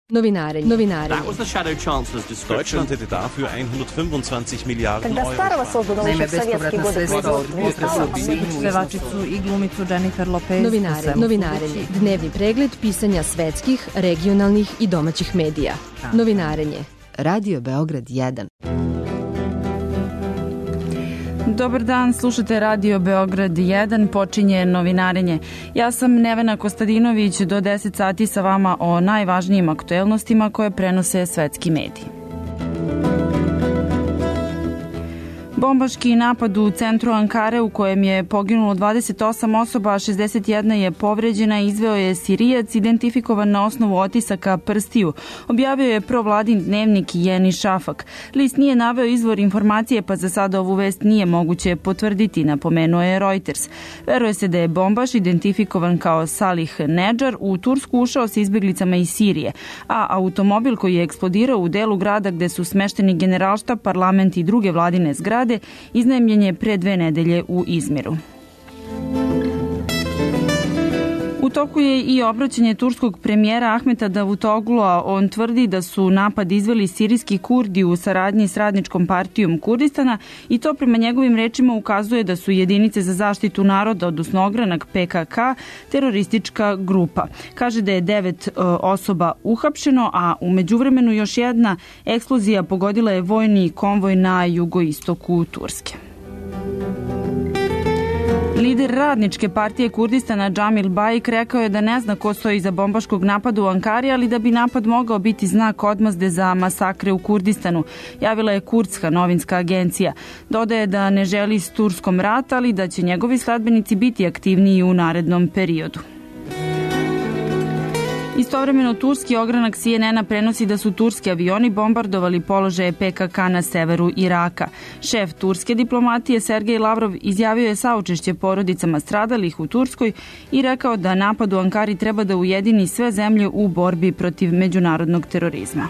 Novinarenje. Deutschland hätte dafür 125 Milijarden Euro. Naime, bespovratna sredstva od pevačicu i glumicu Jennifer Lopez. Novinarenje. Dnevni pregled pisanja svetskih, regionalnih i domaćih medija. Novinarenje. Radio Beograd 1. Dobar dan, slušate Radio Beograd 1, počinje novinarenje. Ja sam Nevena Kostadinović, do 10 sati sa vama o najvažnijim aktuelnostima koje prenose svetski mediji. Bombaški napad u centru Ankare u kojem je poginulo 28 osoba, a 61 je povređena, izveo je Sirijac identifikovan na osnovu otisaka prstiju. Objavio je provladin dnevnik Yeni Shafak. List nije naveo izvor informacije, pa za sada ovu vest nije moguće potvrditi, napomenuo je Reuters. Veruje se da je bombaš identifikovan kao Salih Nedžar u Tursku ušao sa izbjeglicama iz Sirije, a automobil koji je eksplodirao u delu grada gde su smešteni Generalštab, parlament i druge vladine zgrade iznajmljen je pre 2 nedelje u Izmiru. U toku je i obraćanje turskog premijera Ahmeta Davutoglua. On tvrdi da su napad izveli sirijski Kurdi u saradnji s Radničkom partijom Kurdistana i to prema njegovim rečima ukazuje da su jedinice za zaštitu naroda, odnosno ogranak PKK, teroristička grupa. Kaže da je 9 osoba uhapšeno, a u međuvremenu još jedna eksplozija pogodila je vojni konvoj na jugoistoku Turske. Lider Radničke partije Kurdistana Džamil Bajik rekao je da ne zna ko stoji iza bombaškog napada u Ankari, ali da bi napad mogao biti znak odmazde za masakre u Kurdistanu, javila je kurdska novinska agencija. Dodaje da ne želi s Turskom rat, ali da će njegovi sledbenici biti aktivniji u narednom periodu. Istovremeno, turski ogranak CNN-a prenosi da su turski avioni bombardovali položaje PKK na severu Iraka. Šef turske diplomatije Sergej Lavrov izjavio je saučešće porodicama stradalih u Turskoj i rekao da napad u Ankari treba da ujedini sve zemlje u borbi protiv međunarodnog terorizma.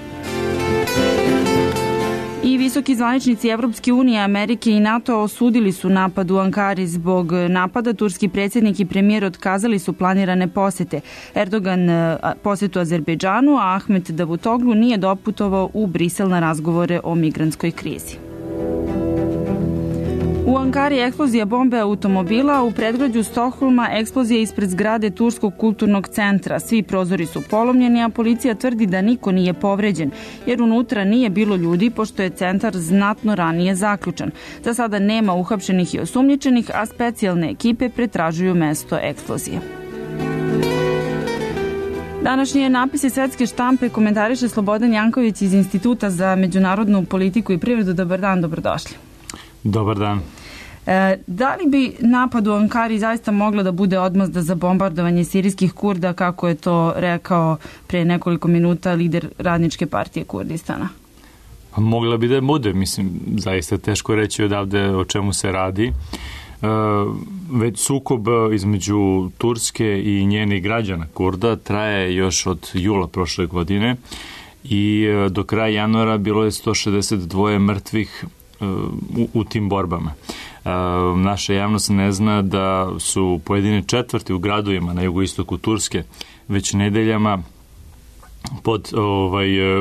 I visoki zvaničnici Evropske unije, Amerike i NATO osudili su napad u Ankari. Zbog napada turski predsjednik i premijer otkazali su planirane posete. Erdogan posetu Azerbejdžanu, a Ahmet Davutoglu nije doputovao u Brisel na razgovore o migrantskoj krizi. U Ankari eksplozija bombe automobila, u predgrađu Stokholma eksplozija ispred zgrade Turskog kulturnog centra. Svi prozori su polomljeni, a policija tvrdi da niko nije povređen, jer unutra nije bilo ljudi, pošto je centar znatno ranije zaključan. Za sada nema uhapšenih i osumnjičenih, a specijalne ekipe pretražuju mesto eksplozije. Današnje napise svetske štampe komentariše Slobodan Janković iz Instituta za međunarodnu politiku i privredu. Dobar dan, dobrodošli. Dobar dan. Da li bi napad u Ankari zaista mogla da bude odmazda za bombardovanje sirijskih Kurda, kako je to rekao pre nekoliko minuta lider Radničke partije Kurdistana? Mogla bi da bude, mislim, zaista teško reći odavde o čemu se radi. Već sukob između Turske i njenih građana Kurda traje još od jula prošle godine i do kraja januara bilo je 162 mrtvih u tim borbama. Naša javnost ne zna da su pojedine četvrti u gradovima na jugoistoku Turske već nedeljama pod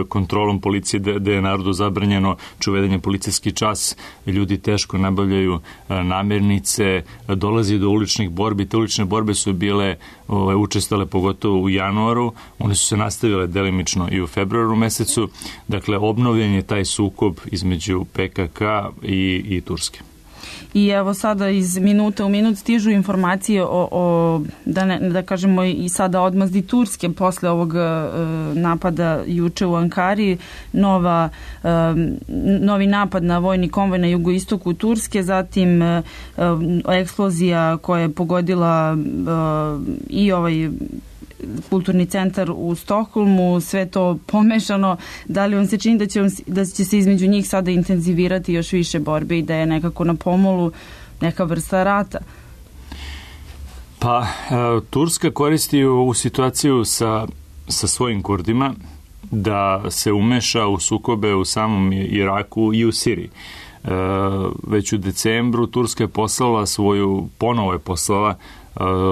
kontrolom policije, da je narodu zabranjeno čuvedanje policijski čas, ljudi teško nabavljaju namirnice, dolazi do uličnih borbi. Te ulične borbe su bile učestale pogotovo u januaru, one su se nastavile delimično i u februaru mesecu, dakle obnovljen je taj sukob između PKK i Turske. I evo sada iz minuta u minut stižu informacije o da kažemo i sada odmazdi Turske posle ovog napada juče u Ankari, novi napad na vojni konvoj na jugoistoku Turske, zatim eksplozija koja je pogodila i ovaj kulturni centar u Stokholmu, sve to pomešano. Da li vam se čini da će se između njih sada intenzivirati još više borbe i da je nekako na pomolu neka vrsta rata? Pa, Turska koristi ovu situaciju sa svojim Kurdima da se umeša u sukobe u samom Iraku i u Siriji. Već u decembru Turska je ponovo poslala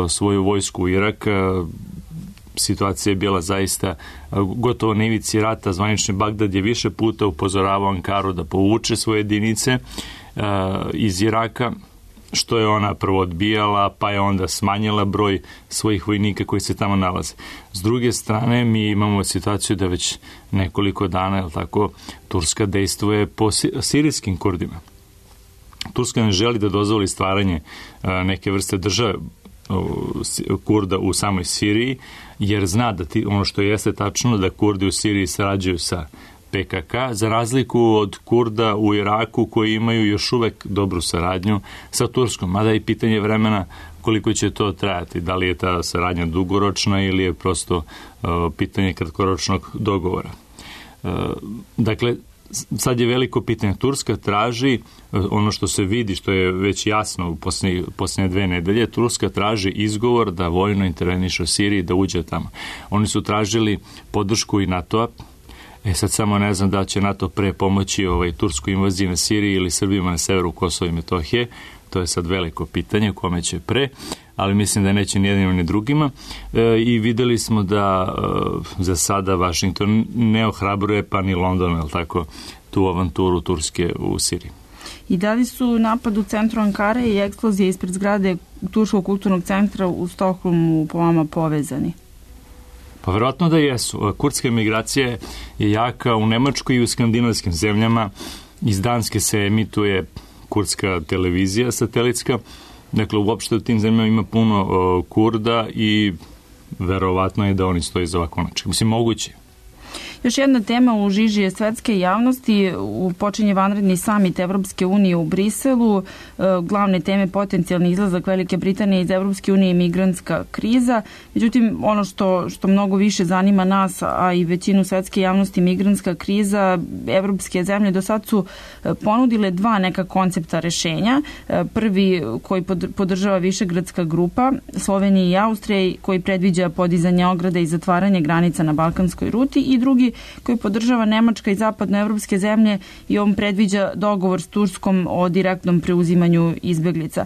svoju vojsku u Irak. situacija je bila zaista gotovo na ivici rata. Zvanični Bagdad je više puta upozoravao Ankaru da povuče svoje jedinice iz Iraka, što je ona prvo odbijala, pa je onda smanjila broj svojih vojnika koji se tamo nalaze. S druge strane, mi imamo situaciju da već nekoliko dana, je li tako, Turska dejstvuje po sirijskim Kurdima. Turska ne želi da dozvoli stvaranje neke vrste države Kurda u samoj Siriji, jer zna da ono što jeste tačno, da Kurdi u Siriji sarađuju sa PKK, za razliku od Kurda u Iraku koji imaju još uvek dobru saradnju sa Turskom, mada je pitanje vremena koliko će to trajati, da li je ta saradnja dugoročna ili je prosto pitanje kratkoročnog dogovora. Dakle, sad je veliko pitanje. Turska traži, ono što se vidi, što je već jasno u posljednje 2 nedelje, Turska traži izgovor da vojno interveniše u Siriji, da uđe tamo. Oni su tražili podršku i NATO-a. Sad samo ne znam da će NATO pre pomoći turskoj invaziji na Siriji ili Srbima na severu Kosova i Metohije. To je sad veliko pitanje, kome će pre, ali mislim da neće ni jednim ni drugima. I videli smo da za sada Vašington ne ohrabruje, pa ni London, je li tako, tu avanturu Turske u Siriji. I da li su napad u centru Ankare i eksplozije ispred zgrade Turskog kulturnog centra u Stokholmu po vama povezani? Pa verovatno da jesu. Kurdska migracija je jaka u Nemačkoj i u skandinavskim zemljama. Iz Danske se emituje kurdska televizija satelitska. Dakle, uopšte u tim zemljama ima puno Kurda i verovatno je da oni stoji za ovako način. Mislim, moguće. Još jedna tema u žiži je svetske javnosti. Počinje vanredni samit Evropske unije u Briselu. Glavne teme potencijalni izlazak Velike Britanije iz Evropske unije i migrantska kriza. Međutim, ono što mnogo više zanima nas, a i većinu svetske javnosti, migrantska kriza, evropske zemlje do sad su ponudile 2 neka koncepta rešenja. Prvi koji podržava Višegradska grupa, Slovenija i Austrija, koji predviđa podizanje ograde i zatvaranje granica na balkanskoj ruti, i drugi koji podržava Nemačka i zapadnoevropske zemlje i on predviđa dogovor s Turskom o direktnom preuzimanju izbeglica.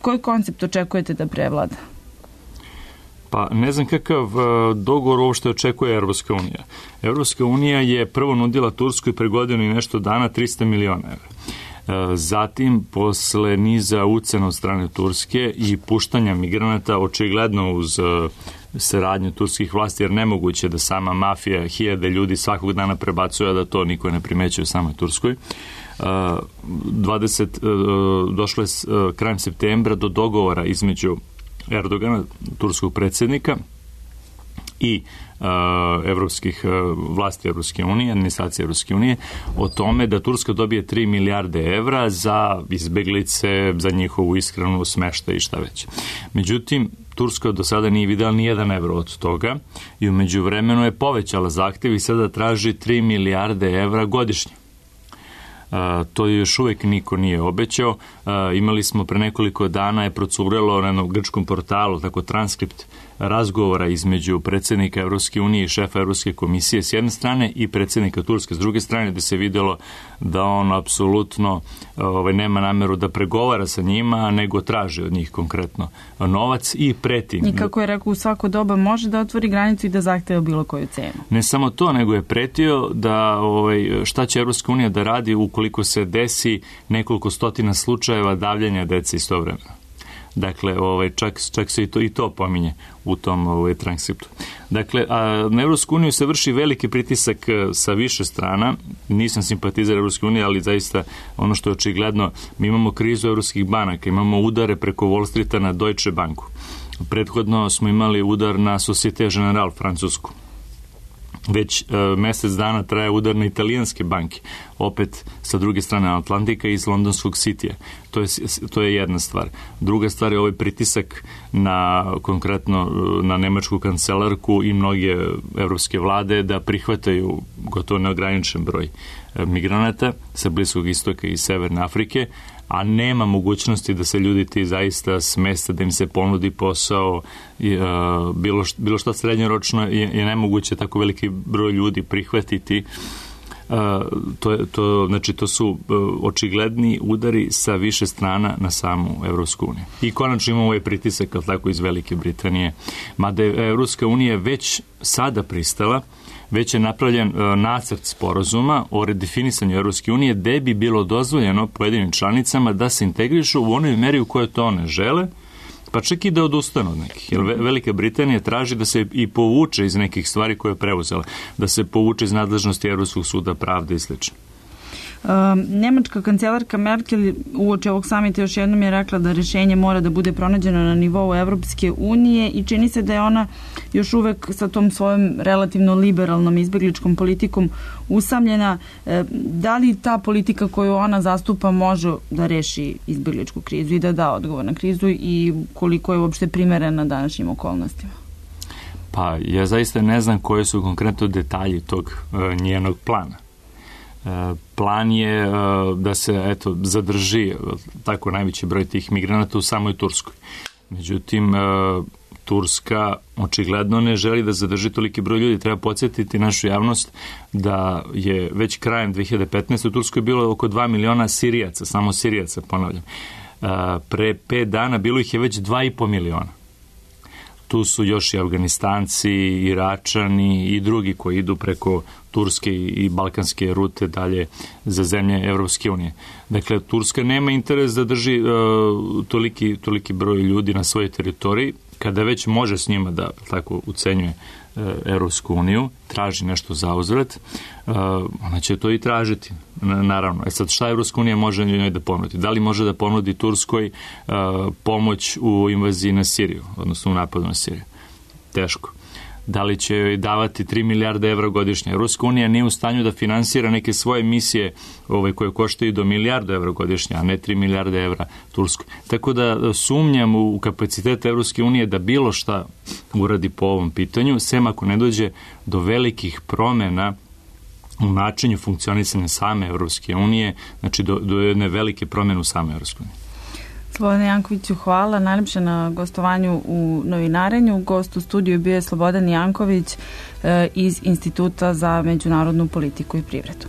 Koji koncept očekujete da prevlada? Pa ne znam kakav dogovor uopšte očekuje Evropska unija. Evropska unija je prvo nudila Turskoj pre godinu i nešto dana 300 miliona evra. Zatim, posle niza ucena od strane Turske i puštanja migranata, očigledno uz saradnju turskih vlasti, jer nemoguće da sama mafija 1000 ljudi svakog dana prebacuje, da to niko ne primećuje u samoj Turskoj. Došlo je krajem septembra do dogovora između Erdogana, turskog predsjednika, i evropskih vlasti Evropske unije, administracije Evropske unije, o tome da Turska dobije 3 milijarde evra za izbeglice, za njihovu ishranu, smeštaj i šta već. Međutim, Turska do sada nije videla ni 1 evro od toga i u međuvremenu je povećala zahtev i sada traži 3 milijarde evra godišnje. To još uvek niko nije obećao. Imali smo pre nekoliko dana, je procurelo na jednom grčkom portalu tako transkript razgovora između predsjednika Evropske unije i šefa Evropske komisije s jedne strane i predsjednika Turske s druge strane, gde se videlo da on apsolutno nema nameru da pregovara sa njima, nego traži od njih konkretno novac i preti. I kako je rekao, u svako doba može da otvori granicu i da zahteva bilo koju cenu. Ne samo to, nego je pretio da šta će Evropska unija da radi ukoliko se desi nekoliko stotina slučajeva davljanja dece istovremeno. Dakle, čak se i to pominje u tom transkriptu. Dakle, na Evropsku uniju se vrši veliki pritisak sa više strana. Nisam simpatizer Evropske unije, ali zaista ono što je očigledno, mi imamo krizu evropskih banaka, imamo udare preko Wall Streeta na Deutsche Banku. Prethodno smo imali udar na Societe Generale, francusku. Već mesec dana traje udar na italijanske banke, opet sa druge strane Atlantika iz londonskog Cityja. To je jedna stvar. Druga stvar je ovaj pritisak konkretno na nemačku kancelarku i mnoge evropske vlade da prihvataju gotovo neograničen broj migranata sa Bliskog istoka i Severne Afrike, a nema mogućnosti da se ljudi ti zaista smeste, da im se ponudi posao, bilo što srednjoročno je nemoguće tako veliki broj ljudi prihvatiti. Znači, to su očigledni udari sa više strana na samu Evropsku uniju. I konačno imamo ovaj pritisak, ali tako, iz Velike Britanije. Mada je Evropska unija već sada pristala, već je napravljen nacrt sporazuma o redefinisanju Evropske unije gde bi bilo dozvoljeno pojedinim članicama da se integrišu u onoj meri u kojoj to one žele, pa čak i da odustanu od nekih. Jer Velika Britanija traži da se i povuče iz nekih stvari koje je preuzela, da se povuče iz nadležnosti Evropskog suda pravde i sl. Nemačka kancelarka Merkel uoči ovog samita još jednom je rekla da rešenje mora da bude pronađeno na nivou Evropske unije i čini se da je ona još uvek sa tom svojom relativno liberalnom izbegličkom politikom usamljena. Da li ta politika koju ona zastupa može da reši izbegličku krizu i da da odgovor na krizu i koliko je uopšte primerena današnjim okolnostima? Pa ja zaista ne znam koje su konkretno detalji tog njenog plana. Plan je da se zadrži tako najveći broj tih migranata u samoj Turskoj. Međutim, Turska očigledno ne želi da zadrži toliki broj ljudi. Treba podsjetiti našu javnost da je već krajem 2015. u Turskoj bilo oko 2 miliona Sirijaca, samo Sirijaca, ponavljam. Pre 5 dana bilo ih je već 2,5 miliona. Tu su još i Afganistanci, Iračani i drugi koji idu preko turske i balkanske rute dalje za zemlje Evropske unije. Dakle, Turska nema interes da drži toliki broj ljudi na svojoj teritoriji, kada već može s njima da tako ucenjuje Evropsku uniju, traži nešto za uzvrat, ona će to i tražiti, naravno. Sad, šta Evropska unija može njoj da ponudi? Da li može da ponudi Turskoj pomoć u invaziji na Siriju, odnosno u napadu na Siriju? Teško. Da li će joj davati 3 milijarde evra godišnje? Evropska unija nije u stanju da finansira neke svoje misije koje koštaju do milijardu evra godišnje, a ne 3 milijarde evra Turskoj. Tako da sumnjam u kapacitet Evropske unije da bilo šta uradi po ovom pitanju, sem ako ne dođe do velikih promena u načinu funkcionisanja same Evropske unije, znači do jedne velike promene u same Evropske unije. Slobodane Jankoviću, hvala najlepše na gostovanju u Novinarenju. Gost u studiju bio je Slobodan Janković iz Instituta za međunarodnu politiku i privredu.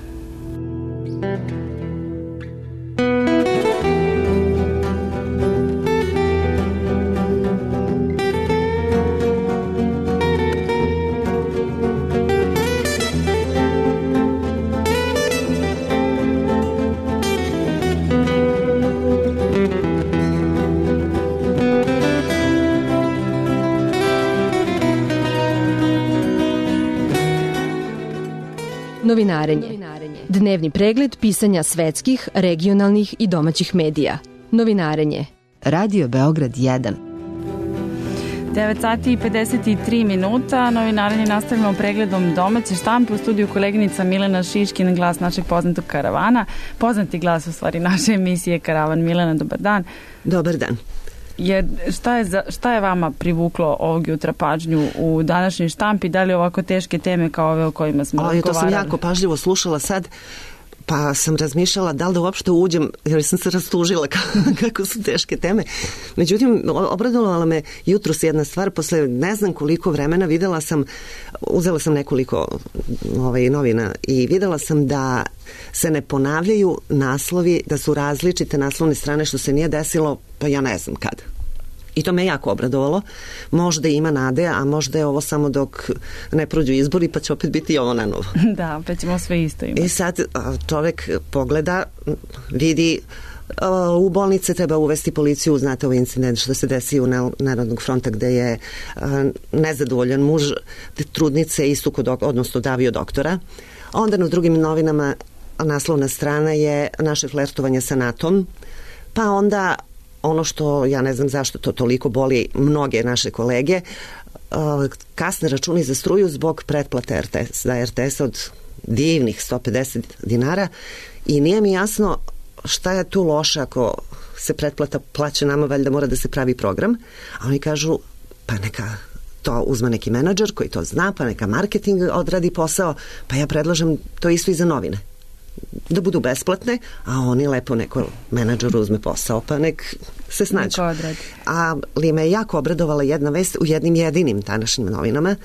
Novinarenje. Dnevni pregled pisanja svetskih, regionalnih i domaćih medija. Novinarenje. Radio Beograd 1. 9 sati i 53 minuta. Novinarenje nastavljamo pregledom domaće štampe. U studiju koleginica Milena Šiškin, glas našeg poznatog karavana. Poznati glas u stvari naše emisije Karavan. Milena, dobar dan. Dobar dan. Šta je vama privuklo ovog jutra pažnju u današnjoj štampi? Da li ovako teške teme kao ove o kojima smo razgovarali? To sam jako pažljivo slušala sad, pa sam razmišljala da li da uopšte uđem, jer sam se rastužila kako su teške teme. Međutim, obradovala me jutros jedna stvar, posle ne znam koliko vremena uzela sam nekoliko novina i videla sam da se ne ponavljaju naslovi, da su različite naslovne strane, što se nije desilo, pa ja ne znam kad. I to me jako obradovalo. Možda ima nade, a možda je ovo samo dok ne prođu izbori, pa će opet biti i ovo na novo. Da, pa ćemo sve isto imati. I sad čovek pogleda, vidi, u bolnice treba uvesti policiju, znate ovaj incident što se desi u Narodnog fronta gde je nezadovoljan muž trudnice odnosno davio doktora. Onda na drugim novinama naslovna strana je naše flertovanje sa NATO-om, pa onda ono što, ja ne znam zašto to toliko boli mnoge naše kolege, kasne računi za struju zbog pretplate za RTS od divnih 150 dinara i nije mi jasno šta je tu loše ako se pretplata plaća nama, valjda mora da se pravi program, a oni kažu pa neka to uzme neki menadžer koji to zna, pa neka marketing odradi posao, pa ja predlažem to isto i za novine. Da budu besplatne, a oni lepo neko menadžer uzme posao, pa nek se snađu. Ali me jako obradovala jedna vest u jednim jedinim današnjim novinama.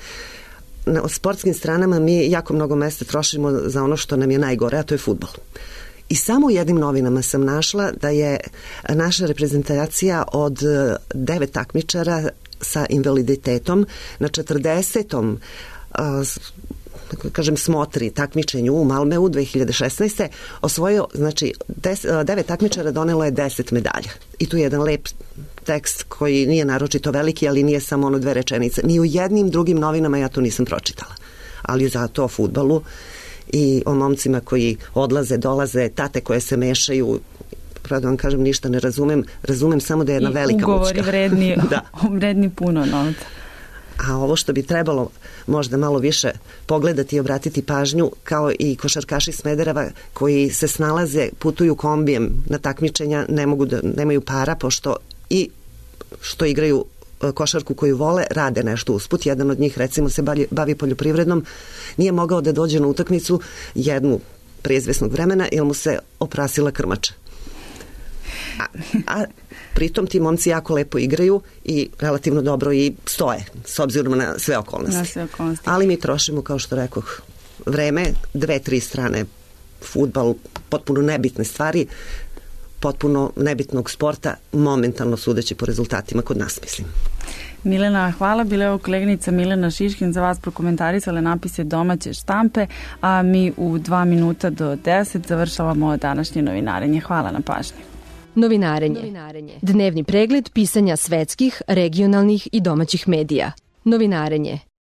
na sportskim stranama mi jako mnogo mesta trošimo za ono što nam je najgore, a to je fudbal. I samo u jednim novinama sam našla da je naša reprezentacija od 9 takmičara sa invaliditetom na 40. smotri takmičenju u Malmeu 2016. osvojio, znači 9 takmičara donelo je 10 medalja. I tu je jedan lep tekst koji nije naročito veliki, ali nije samo 2 rečenice. Ni u jednim drugim novinama ja to nisam pročitala. Ali zato o fudbalu i o momcima koji odlaze, dolaze, tate koje se mešaju, pravo da vam kažem, ništa ne razumem samo da je jedna velika mučka. I ugovori vredni puno novca. A ovo što bi trebalo možda malo više pogledati i obratiti pažnju, kao i košarkaši Smedereva koji se snalaze, putuju kombijem na takmičenja, nemaju para, pošto i što igraju košarku koju vole, rade nešto usput. Jedan od njih, recimo, se bavi poljoprivrednom, nije mogao da dođe na utakmicu jednu prije izvesnog vremena jer mu se oprasila krmača. A pritom ti momci jako lepo igraju i relativno dobro i stoje, s obzirom na sve okolnosti. Ali mi trošimo, kao što rekoh, vreme, 2-3 strane, fudbal, potpuno nebitne stvari, potpuno nebitnog sporta, momentalno sudeći po rezultatima kod nas, mislim. Milena, hvala. Bila je ovo koleginica Milena Šiškin za vas prokomentarisale napise domaće štampe, a mi u 2 minuta do 10 završavamo današnje novinarenje. Hvala na pažnji. Novinarenje. Dnevni pregled pisanja svetskih, regionalnih i domaćih medija. Novinarenje.